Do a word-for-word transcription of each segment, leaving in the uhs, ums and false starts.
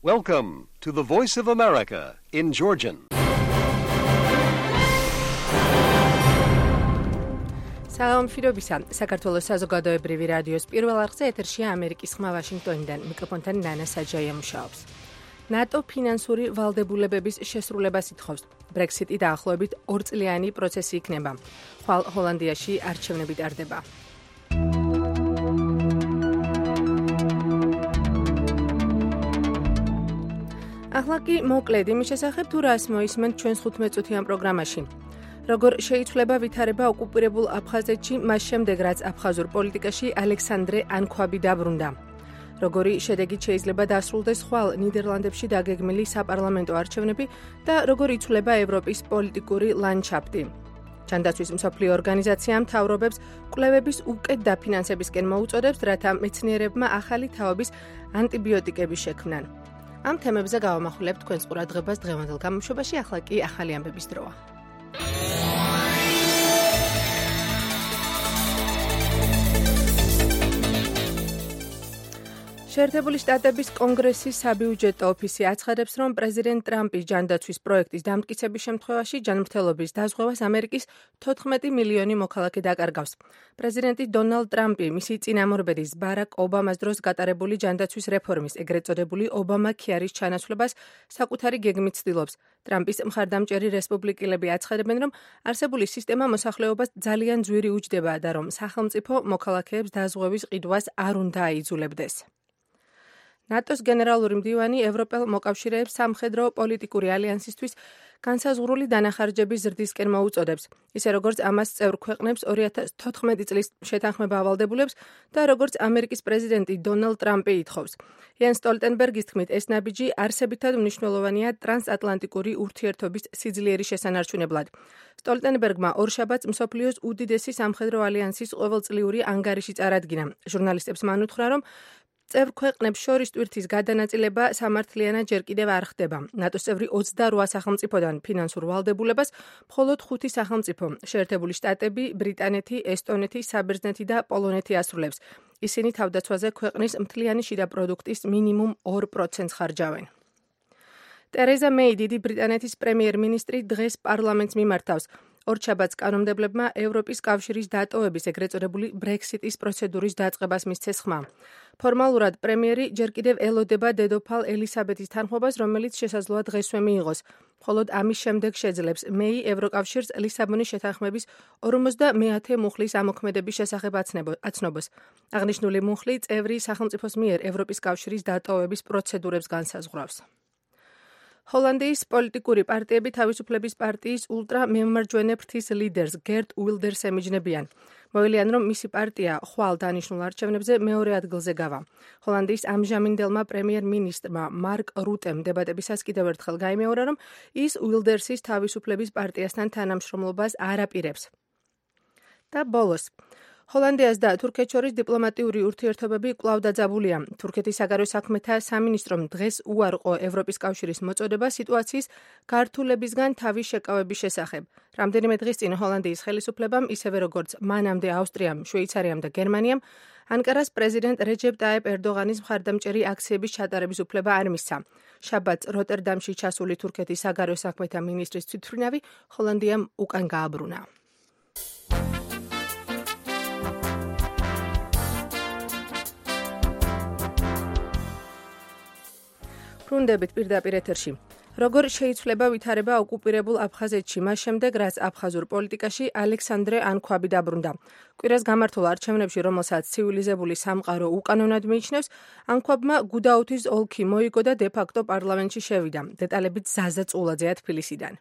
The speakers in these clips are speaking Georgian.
Welcome to the Voice of America in Georgian. სალამ მშვიდობისა. საქართველოს საზოგადოებრივი რადიოს პირველ არხზე ეთერშია ამერიკის ხმა ვაშინგტონიდან. მიკროფონთან ნანა საჯაია მუშაობს. ნატო ფინანსური ვალდებულებების შესრულებას ითხოვს. ბრექსიტი დაახლოებით ორწლიანი პროცესი იქნება. ხვალ ჰოლანდიაში არჩევნები ტარდება. ახლა კი მოკლედ იმის შესახებ თუ რას მოისმენთ ჩვენს ხუთმეტწუთიან პროგრამაში. როგორ შეიცვლება ვითარება ოკუპირებულ აფხაზეთში მას შემდეგ, რაც აფხაზურ პოლიტიკაში ალექსანდრე ანქვაბი დაბრუნდა. როგორი შედეგით შეიძლება დასრულდეს ხვალ ნიდერლანდებში დაგეგმილი საპარლამენტო არჩევნები და როგორ იცვლება ევროპის პოლიტიკური ლანდშაფტი. ჯანდაცვის მსოფლიო ორგანიზაცია მთავრობებს კვლევების უკეთ დაფინანსებისკენ მოუწოდებს, რათა მეცნიერებმა ახალი თაობის ანტიბიოტიკები შექმნან. ამ თემებზე გავამახვილებთ თქვენს ყურადღებას დღევანდელ გამოშვებაში, ახლა კი ახალი ამბების დროა. შეერთებული შტატების კონგრესის საბიუჯეტო ოფისი აცხადებს, რომ პრეზიდენტ ტრამპის ჯანდაცვის პროექტის დამტკიცების შემთხვევაში ჯანმრთელობის დაზღვევას ამერიკის თოთხმეტი მილიონი მოქალაქე დაკარგავს. პრეზიდენტი დონალდ ტრამპი მისი წინამორბედის ბარაკ ობამას დროს გატარებული ჯანდაცვის რეფორმის, ეგრეთ წოდებული ობამა ქეარის ჩანაცვლებას საკუთარი გეგმით ცდილობს. ტრამპის მხარდამჭერი რესპუბლიკელები აცხადებენ, რომ არსებული სისტემა მოსახლეობას ძალიან ძვირი უჯდება და რომ სახელმწიფო მოქალაქეებს დაზღვევის ყიდვას არ უნდა აიძულებდეს. ნატოს გენერალური მდივანი ევროპელ მოკავშირეებს სამხედრო პოლიტიკური ალიანსისთვის განსაზღვრული დანახარჯების ზრდისკენ მოუწოდებს, ისე როგორც ამას წევრ ქვეყნებს ორი ათას თოთხმეტი წლის შეთანხმება ავალდებულებს და როგორც ამერიკის პრეზიდენტი დონალდ ტრამპი ითხოვს. იენ სტოლტენბერგის თქმით, ეს ნაბიჯი არსებითად მნიშვნელოვანია ტრანსატლანტიკური ურთიერთობის სიძლიერის შესანარჩუნებლად. სტოლტენბერგმა ორშაბათს მსოფლიოს უდიდესი სამხედრო ალიანსის ყოველწლიური ანგარიში წარადგინა. ჟურნალისტებს მან უთხრა, რომ წევრ ქვეყნებს შორის ტვირთის გადანაწილება სამართლიანად ჯერ კიდევ არ ხდება. ნატოს წევრი ოცდარვა სახელმწიფოდან ფინანსურ ვალდებულებას მხოლოდ ხუთი სახელმწიფო, შეერთებული შტატები, ბრიტანეთი, ესტონეთი, საბერძნეთი და პოლონეთი ასრულებს. ისინი თავდაცვაზე ქვეყნის მთლიანი შიდა პროდუქტის მინიმუმ ორ პროცენტს ხარჯავენ. ტერეზა მეი, დიდი ბრიტანეთის პრემიერ-მინისტრი, დღეს პარლამენტს მიმართავს. ორშაბათს კანონმდებლებმა ევროპის კავშირის დატოვების, ეგრეთ წოდებული ბრექსიტის პროცედურის დაწყებას მისცეს ხმა. ფორმალურად პრემიერი ჯერ კიდევ ელოდება დედოფალ ელისაბეთის თანხმობას, რომელიც შესაძლოა დღესვე მიიღოს. მხოლოდ ამის შემდეგ შეძლებს მეი ევროკავშირს ლისაბონის შეთანხმების ორმოცდამეათე მუხლის ამოქმედების შესახებ აცნობას. აღნიშნული მუხლი წევრი სახელმწიფოს მიერ ევროპის კავშირის დატოვების პროცედურებს განსაზღვრავს. ჰოლანდიის პოლიტიკური პარტიები თავისუფლების პარტიის ულტრამემარჯვენე ფრთის ლიდერს გერტ უილდერს ემიჯნებიან. მოელიან, რომ მისი პარტია ხვალ დანიშნულ არჩევნებზე მეორე ადგილზე გავა. ჰოლანდიის ამჟამინდელმა პრემიერ-მინისტრმა მარკ რუტემ დებატებისას კიდევ ერთხელ გაიმეორა, რომ ის უილდერსის თავისუფლების პარტიასთან თანამშრომლობას არ აპირებს. და ბოლოს. ჰოლანდიას და თურქეთს შორის დიპლომატიური ურთიერთობები კვლავ დაძაბულია. თურქეთის საგარეო საქმეთა სამინისტრომ დღეს უარყო ევროპის კავშირის მოწოდება სიტუაციის გართულებისგან თავის შეკავების შესახებ. რამდენიმე დღის წინ ჰოლანდიის ხელისუფლებამ, ისევე როგორც მანამდე ავსტრიამ, შვეიცარიამ და გერმანიამ, ანკარას პრეზიდენტ რეჯეპ ტაიპ ერდოღანის მხარდამჭერი აქციების ჩატარების უფლება არ მისცა. შაბათს როტერდამში ჩასული თურქეთის საგარეო საქმეთა მინისტრის თვითმფრინავი ჰოლანდიამ უკან გააბრუნა. ბრუნდებით პირდაპირ ეთერში. როგორ შეიცვლება ვითარება ოკუპირებულ აფხაზეთში მას შემდეგ, რაც აფხაზურ პოლიტიკაში ალექსანდრე ანქვაბი დაბრუნდა. კვირას გამართულ არჩევნებში, რომელსაც ცივილიზებული სამყარო უკანონად მიიჩნევს, ანქვაბმა გუდაუთის ოლქი მოიგო და დე-ფაქტო პარლამენტში შევიდა. დეტალებით ზაზა წულაძეა თბილისიდან.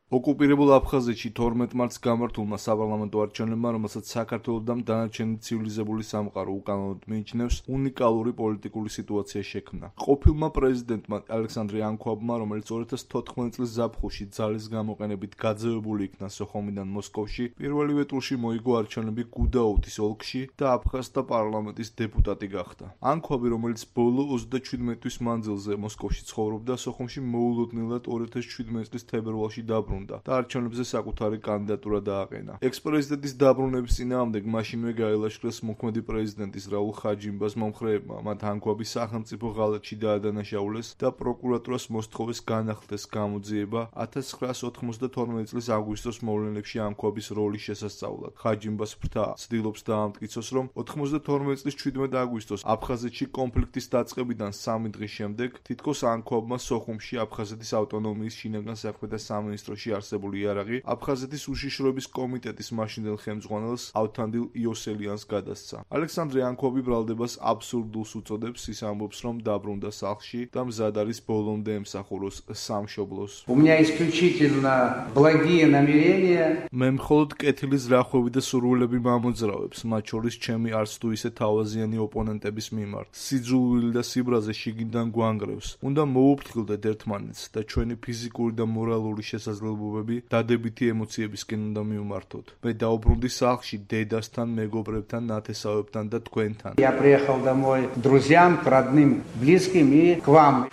ოკუპირებულ აფხაზეთში თორმეტ მარტს გამართულმა საპარლამენტო არჩევნებმა, რომელსაც საქართველოს და დანარჩენი ცივილიზებული სამყარო უკანონოდ მიიჩნევს, უნიკალური პოლიტიკური სიტუაცია შექმნა. ყოფილმა პრეზიდენტმა ალექსანდრე ანქვაბმა, რომელიც ორი ათას თოთხმეტი წლის ზაფხულში ძალის გამოყენებით გაძევებული იქნა სოხუმიდან მოსკოვში, პირველივე ტურში მოიგო არჩევნები გუდაუთის ოლქში და აფხაზთა პარლამენტის დეპუტატი გახდა. ანქვაბი, რომელიც ბოლო ოცდაჩვიდმეტი თვის მანძილზე მოსკოვში ცხოვრობდა, სოხუმში მოულოდნელად ორი ათას შვიდმეტი წლის თებერვალში დაბრუნდა. დაბრუნდა და არჩევნებზე საკუთარი კანდიდატურა დააყენა. ექს-პრეზიდენტის დაბრუნების წინააღმდეგ მაშინვე გაილაშქრეს მოქმედი პრეზიდენტის რაულ ხაჯიმბას მომხრეებმა, მათ ანქვაბი სახელმწიფო ღალატში დაადანაშაულეს და პროკურატურას მოსთხოვეს განახლდეს გამოძიება ათას ცხრაას ოთხმოცდათორმეტი წლის აგვისტოს მოვლენებში ანქვაბის როლის შესასწავლად. ხაჯიმბას ფრთა ცდილობს დაამტკიცოს, რომ ოთხმოცდათორმეტი წლის შვიდმეტი აგვისტოს აფხაზეთში კონფლიქტის დაწყებიდან სამი დღის შემდეგ თითქოს ანქვაბმა სოხუმში აფხაზეთის ავტონომიის შინაგან საქმეთა სამინისტროში არსებული იარაღი აფხაზეთის უშიშროების კომიტეტის მაშინდელ ხელმძღვანელს ავთანდილ იოსელიანს გადასცა. ალექსანდრე ანქვაბი ბრალდებას აბსურდულს უწოდებს, ის ამბობს, რომ დაბრუნდა სახლში და მზად არის ბოლომდე ემსახუროს სამშობლოს. У меня исключительно благие намерения. მე მხოლოდ კეთილის რახვები და სურვილები მამოძრავებს, მათ შორის ჩემი არც თუ ისე თავაზიანი ოპონენტების მიმართ. სიძულვილი და სიბრაზე შიგნიდან გვანგრევს. უნდა მოუფრთხილდეთ ერთმანეთს და ჩვენი ფიზიკური და მორალური შესაძლებლობები დადებითი ემოციებისკენ უნდა მივმართოთ. მე დაუბრუნდი სახლში დედასთან, მეგობრებთან, ნათესავებთან და თქვენთან. Я приехал домой к друзьям, к родным, близким и к вам.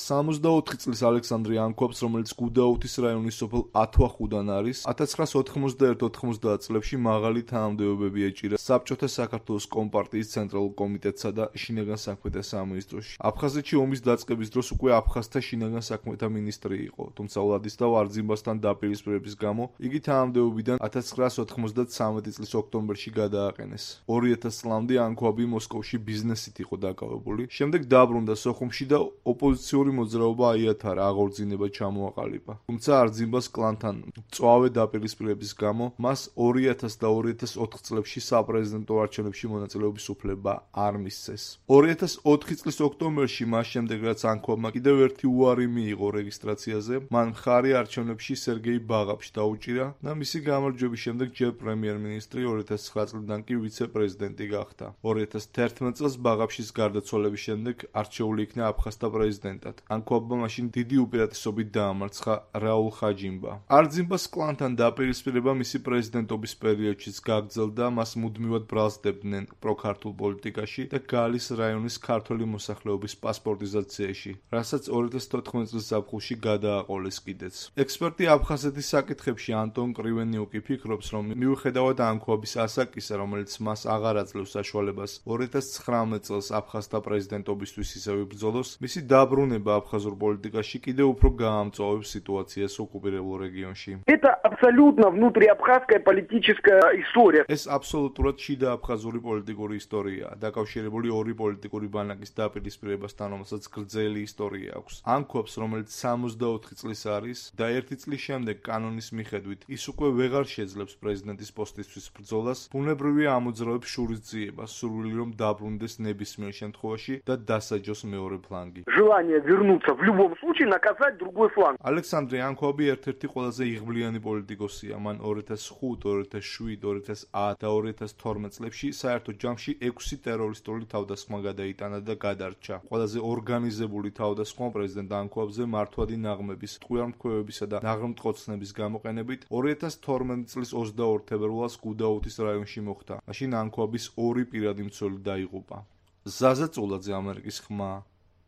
სამოცდაოთხი წლის ალექსანდრე ანქვაბს, რომელიც გუდაუთის რაიონის სოფელ ათვახუდან არის, ათას ცხრაას ოთხმოცდაერთი ოთხმოცდაათ წლებში მაღალი თანამდებობები ეჭირა საბჭოთა საქართველოს კომპარტიის ცენტრალურ კომიტეტსა და შინაგან საქმეთა სამინისტროში. აფხაზეთში ომის დაწყების დროს უკვე აფხაზთა შინაგან საქმეთა მინისტრი იყო, თუმცა ვლადისლავ არძიმბასთან დაპირისპირების გამო იგი თანამდებობიდან ათას ცხრაას ოთხმოცდათრამეტი წლის ოქტომბერში გადააყენეს. ორი ათას წლამდე ანქვაბი მოსკოვში ბიზნესით იყო დაკავებული, შემდეგ დაბრუნდა სოხუმში და ოპოზიციური მოძრაობა აიათარა, აღორძინება ჩამოაყალიბა. თუმცა არძიმბას კლანთან მწვავე დაპირისპირების გამო მას ორი ათას და ორი ათას ოთხ წლებში საპრეზიდენტო არჩევნებში მონაწილეობის უფლება არ მისცეს. ორი ათას ოთხი წლის ოქტომბერში, მას შემდეგ რაც ანქვაბმა კიდევ ერთი უარი მიიღო რეგისტრაციაზე, მან მხარი არჩევნებში სერგეი ბაღაფში დაუჭირა და მისი გამარჯვების შემდეგ ჯერ პრემიერ-მინისტრი, ორი ათას ცხრა წლიდან კი ვიცე-პრეზიდენტი გახდა. ორი ათას თერთმეტ წელს ბაღაფშის გარდაცვალების შემდეგ არჩეული იქნა აფხაზთა პრეზიდენტად. ანქვაბმა მაშინ დიდი უპირატესობით დაამარცხა რაულ ხაჯიმბა. არძიმბას კლანთან დაპირისპირება მისი პრეზიდენტობის პერიოდშიც გაგრძელდა, მას მუდმივად ბრალსდებდნენ პროქართულ პოლიტიკაში და გალის რაიონის ქართველი მოსახლეობის პასპორტიზაციაში, რასაც ორი ათას თოთხმეტი წლის ზაფხულში გადააყოლეს კიდეც. ექსპერტი აფხაზეთის საკითხებში ანტონ კრივენიუკი ფიქრობს, რომ მიუხედავად ანქვაბის ასაკისა, რომელიც მას აღარ აძლევს საშუალებას ორი ათას ცხრამეტ წელს აფხაზთა პრეზიდენტობისთვის ისევ იბრძოლოს, მისი დაბრუნება აფხაზურ პოლიტიკაში კიდევ უფრო გაამწვავებს სიტუაციას ოკუპირებულ რეგიონში. Это абсолютно внутриабхазская политическая история. ეს აბსოლუტურად შიდა აფხაზური პოლიტიკური ისტორიაა, დაკავშირებული ორი პოლიტიკური ბანაკის დაპირისპირებასთან, რომელსაც გრძელი ისტორია აქვს. ანქვაბს, რომელიც სამოცდაოთხი წლის არის და ერთი წლის შემდეგ კანონის მიხედვით ის უკვე ვეღარ შეძლებს პრეზიდენტის პოსტისთვის ბრძოლას, ბუნებრივია ამოძრავებს შურისძიებას, სურვილი რომ დაბრუნდეს ნებისმიერ შემთხვევაში და დასაჯოს მეორე ფლანგი. Желание вернуться в любом случае, наказать другой фланг. ალექსანდრე ანქვაბი ერთ-ერთი ყველაზე იღბლიანი პოლიტიკოსია. მან ორი ათას ხუთი, ორი ათას შვიდი, ორი ათას ათი და ორი ათას თორმეტ წლებში საერთო ჯამში ექვსი ტერორისტული თავდასხმა გადაიტანა და გადარჩა. ყველაზე ორგანიზებული თავდასხმა პრეზიდენტ ანქვაბზე მართვადი ნაღმების, ტყვიარმთქვევებისა და ნაღმტყოცნების გამოყენებით ორი ათას თორმეტი წლის ოცდაორ თებერვალს გუდაუთის რაიონში მოხდა. მაშინ ანქვაბის ორი პირადი მცველი დაიღუპა. ზაზა წულაძე, ამერიკის ხმა,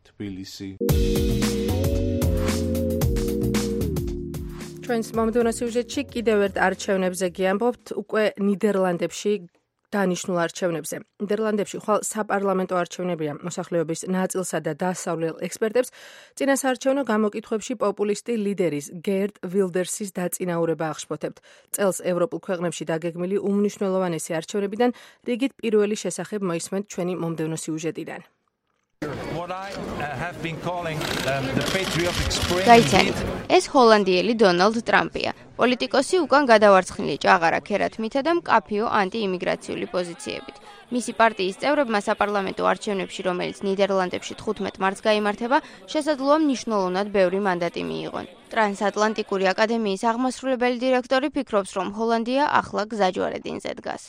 თბილისი. ჩვენს მომდევნო სიუჟეტში კიდევ ერთ არჩევნებზე გიამბობთ, უკვე ნიდერლანდებში დანიშნულ არჩევნებზე. ნიდერლანდებში ხვალ საპარლამენტო არჩევნებია მოსახლეობის ნაწილსა და დასავლელ ექსპერტებს წინასაარჩევნო გამოკითხვებში პოპულისტი ლიდერის გერტ ვილდერსის დაწინაურება აღშფოთებთ. წელს ევროპულ ქვეყნებში დაგეგმილი უმნიშვნელოვანესი არჩევნებიდან რიგით პირველი შესახებ მოისმენთ ჩვენი მომდევნო სიუჟეტიდან. გაიცანით, ეს ჰოლანდიელი დონალდ ტრამპია. პოლიტიკოსი უკან გადავარცხნილი ჭაღარა ქერათმითა და მკაფიო ანტიიმიგრაციული პოზიციებით. მისი პარტიის წევრებმა საპარლამენტო არჩევნებში, რომელიც ნიდერლანდებში თხუთმეტ მარტს გაიმართება, შესაძლოა მნიშვნელოვნად ბევრი მანდატი მიიღონ. ტრანსატლანტიკური აკადემიის აღმასრულებელი დირექტორი ფიქრობს, რომ ჰოლანდია ახლა გზაჯვარედინზე დგას.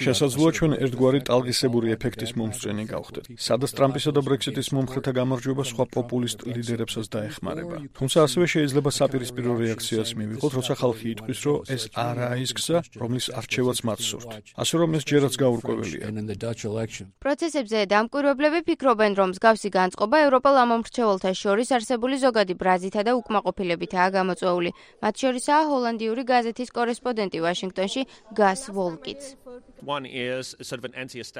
შესაძლოა ჩვენ ერთგვარი ტალღისებური ეფექტის მომსწრენი გავხდეთ. სადაც ტრამპისა და ბრექსიტის მომხრეთა გამარჯვება სხვა პოპულისტ ლიდერებსაც დაეხმარება. თუმცა ასევე შეიძლება საპირისპირო რეაქციას მივიღოთ, როცა ხალხი იტყვის, რომ ეს არაა ის გზა, რომლის არჩევაც მათ სურთ. ასე რომ ეს ჯერაც გაურკვეველია. პროცესებზე დამკვირვებლები ფიქრობენ, რომ მსგავსი განწყობა ევროპელ ამომრჩეველთა შორის არსებული ზოგადი ბრაზითა და უკმაყოფილებითაა გამოწვეული. მათ შორისაა ჰოლანდიური გაზეთის კორესპონდენტი ვაშინგტონში გას ვოლკიც.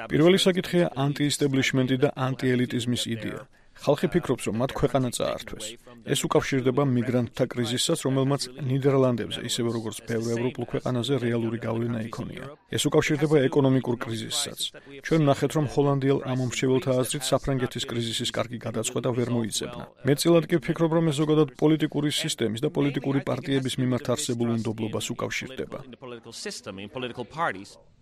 პირველი საკითხია ანტიესტებლიშმენტი და ანტიელიტიზმის იდეა. ხალხი ფიქრობს, რომ მათ ქვეყანა წაართვეს. ეს უკავშირდება მიგრანტთა კრიზისსაც, რომელმაც ნიდერლანდებზე, ისევე როგორც ბევრ ევროპულ ქვეყანაზე რეალური გავლენა იქონია. ეს უკავშირდება ეკონომიკურ კრიზისსაც. ჩვენ ვნახეთ, რომ ჰოლანდიელ ამომრჩეველთა აზრით საფრანგეთის კრიზისის კარგი გადაწყვეტა ვერ მოიძებნა. მეტწილად კი ვფიქრობ, რომ ეს ზოგადად პოლიტიკური სისტემის და პოლიტიკური პარტიების მიმართ არსებულ უნდობლობას უკავშირდება.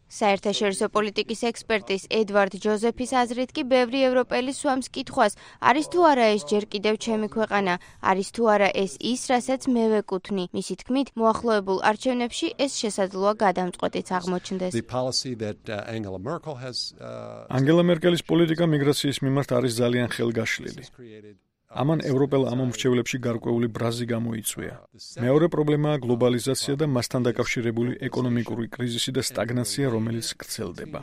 საერთაშორისო პოლიტიკის ექსპერტის ედვარდ ჯოზეფის აზრით კი ბევრი ევროპელი სვამს კითხვას, არის თუ არა ეს ჯერ კიდევ ჩემი ქვეყანა, არის თუ არა ეს ის, რასაც მე ვეკუთვნი. მისი თქმით, მოახლოებულ არჩევნებში ეს შესაძლოა გადამწყვეტიც აღმოჩნდეს. ანგელა მერკელის პოლიტიკა მიგრაციის მიმართ არის ძალიან ხელგაშლილი. ამან ევროპელ ამომრჩევლებში გარკვეული ბრაზი გამოიწვია. მეორე პრობლემაა გლობალიზაცია და მასთან დაკავშირებული ეკონომიკური კრიზისი და სტაგნაცია, რომელიც გრძელდება.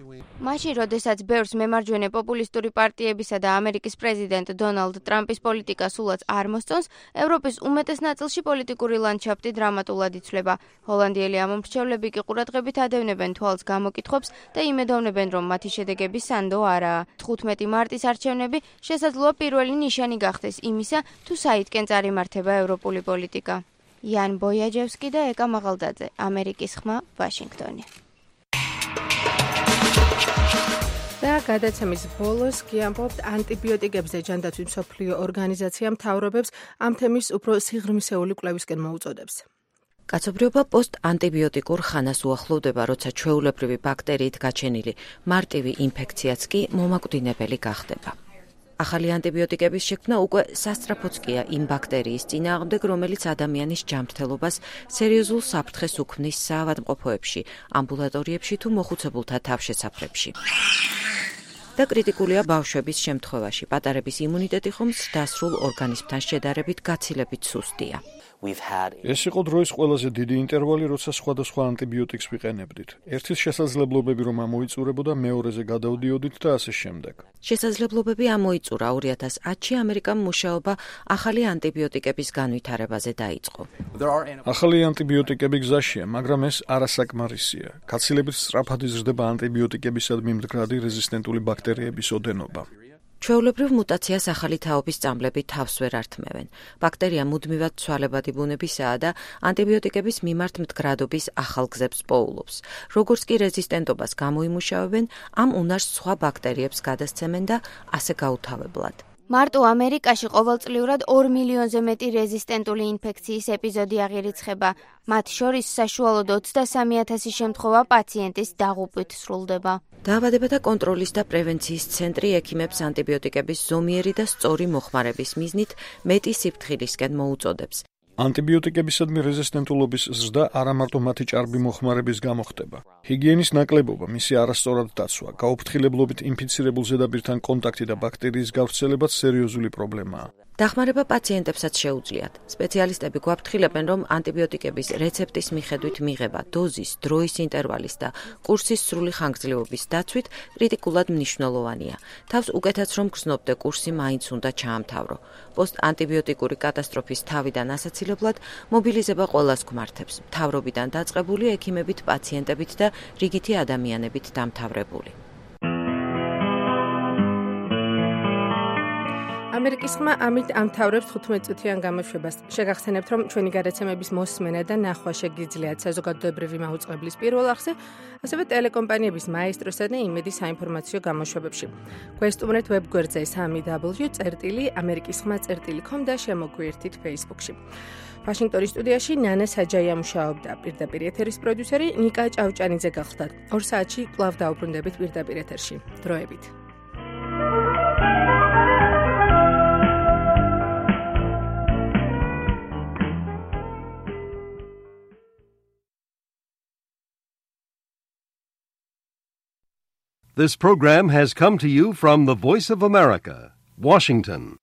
მაშინ, როდესაც ბევრს მემარჯვენე პოპულისტური პარტიებისა და ამერიკის პრეზიდენტ დონალდ ტრამპის პოლიტიკა სულაც არ მოსწონს, ევროპის უმეტეს ნაწილში პოლიტიკური ლანდშაფტი დრამატულად იცვლება. ჰოლანდიელი ამომრჩევლები კი ყურადღებით ადევნებენ თვალს გამოკითხვებს და იმედოვნებენ, რომ მათი შედეგები სანდო არაა. თხუთმეტი მარტის არჩევნები შესაძლოა პირველი ნიშანი გახდეს იმისა, თუ საითკენ წარიმართება ევროპული პოლიტიკა. იან ბოიაჯევსკი და ეკა მაღალდაძე, ამერიკის ხმა, ვაშინგტონი. და გადაცემის ბოლოს გიამბობთ ანტიბიოტიკებზე ჯანდაცვის მსოფლიო ორგანიზაცია მთავრობებს ამ თემის უფრო სიღრმისეული კვლევისკენ მოუწოდებს. კაცობრიობა პოსტ-ანტიბიოტიკურ ხანას უახლოვდება, როცა ჩვეულებრივი ბაქტერიით გაჩენილი მარტივი ინფექციაც კი მომაკვდინებელი გახდება. ახალი ანტიბიოტიკების შექმნა უკვე სასწრაფოც კია იმ ბაქტერიის წინააღმდეგ, რომელიც ადამიანის ჯანმრთელობას სერიოზულ საფრთხეს უქმნის საავადმყოფოებში, ამბულატორიებში თუ მოხუცებულთა თავშესაფრებში. და კრიტიკულია ბავშვების შემთხვევაში. პატარების იმუნიტეტი ხომ ზრდასრულ ორგანიზმთან შედარებით გაცილებით სუსტია. ეს იყო დროის ყველაზე დიდი ინტერვალი, როცა სხვადასხვა ანტიბიოტიკს ვიყენებდით. ერთის შესაძლებლობები რომ ამოიწურებოდა, მეორეზე გადავდიოდით და ასე შემდეგ. შესაძლებლობები ამოიწურა ორი ათას ათში ამერიკამ მუშაობა ახალი ანტიბიოტიკების განვითარებაზე დაიწყო. ახალი ანტიბიოტიკები გზაშია, მაგრამ ეს არასაკმარისია. გაცილებით სწრაფად იზრდება ანტიბიოტიკებისადმი მდგრადი რეზისტენტული ბაქტერიების ოდენობა. ჩვეულებრივ მუტაციას ახალი თაობის წამლები თავს ვერ ართმევენ. ბაქტერია მუდმივად ცვალებადი ბუნებისაა და ანტიბიოტიკების მიმართ მდგრადობის ახალ გზებს პოულობს. როგორც კი რეზისტენტობას გამოიმუშავებენ, ამ უნარს სხვა ბაქტერიებს გადასცემენ და ასე გაუთავებლად. მარტო ამერიკაში ყოველწლიურად ორ მილიონზე მეტი რეზისტენტული ინფექციის ეპიზოდი აღირიცხება. მათ შორის საშუალოდ ოცდასამი ათასი შემთხვევა პაციენტის დაღუპვით სრულდება. დაავადებათა კონტროლის და პრევენციის ცენტრი ექიმებს ანტიბიოტიკების ზომიერი და სწორი მოხმარების მიზნით მეტი სიფრთხილისკენ მოუწოდებს. ანტიბიოტიკებისადმი რეზისტენტულობის ზრდა არა მარტო მათი ჭარბი მოხმარების გამო ხდება. ჰიგიენის ნაკლებობა, მისი არასწორად დაცვა, გაუფრთხილებლობით ინფიცირებულ ზედაპირთან კონტაქტი და ბაქტერიის გავრცელებაც სერიოზული პრობლემაა. დახმარება პაციენტებსაც შეუძლიათ. სპეციალისტები გვაფრთხილებენ, რომ ანტიბიოტიკების რეცეპტის მიხედვით მიღება, დოზის, დროის ინტერვალის და კურსის სრული ხანგრძლივობის დაცვით კრიტიკულად მნიშვნელოვანია. თავს უკეთაც რომ გრძნობდე კურსი მაინც უნდა ჩაამთავრო. პოსტ-ანტიბიოტიკური კატასტროფის თავიდან ასაცილებლად მობილიზება ყველას გვმართებს. მთავრობიდან დაწყებული ექიმებით, პაციენტებით და რიგითი ადამიანებით დამთავრებული. ამერიკის ხმა ამით ამთავრებს თხუთმეტ წუთიან გამოშვებას. შეგახსენებთ, რომ ჩვენი გადაცემების მოსმენა და ნახვა შეგიძლიათ საზოგადოებრივი მაუწყებლის პირველ არხზე, ასევე ტელეკომპანიების მაესტროსა და იმედის საინფორმაციო გამოშვებებში. გვესტუმრეთ ვებგვერდზე სამი დაბლიუ წერტილი ამერიკის ხმა წერტილი კომ და შემოგვიერთით Facebook-ში. ვაშინგტონის სტუდიაში ნანა საჯაია მუშაობდა, პირდაპირ ეთერის პროდიუსერი ნიკა ჭავჭანიძე გახლდათ. ორ საათში კვლავ დაუბრუნდებით პირდაპირ ეთერში. დროებით. This program has come to you from the Voice of America, Washington.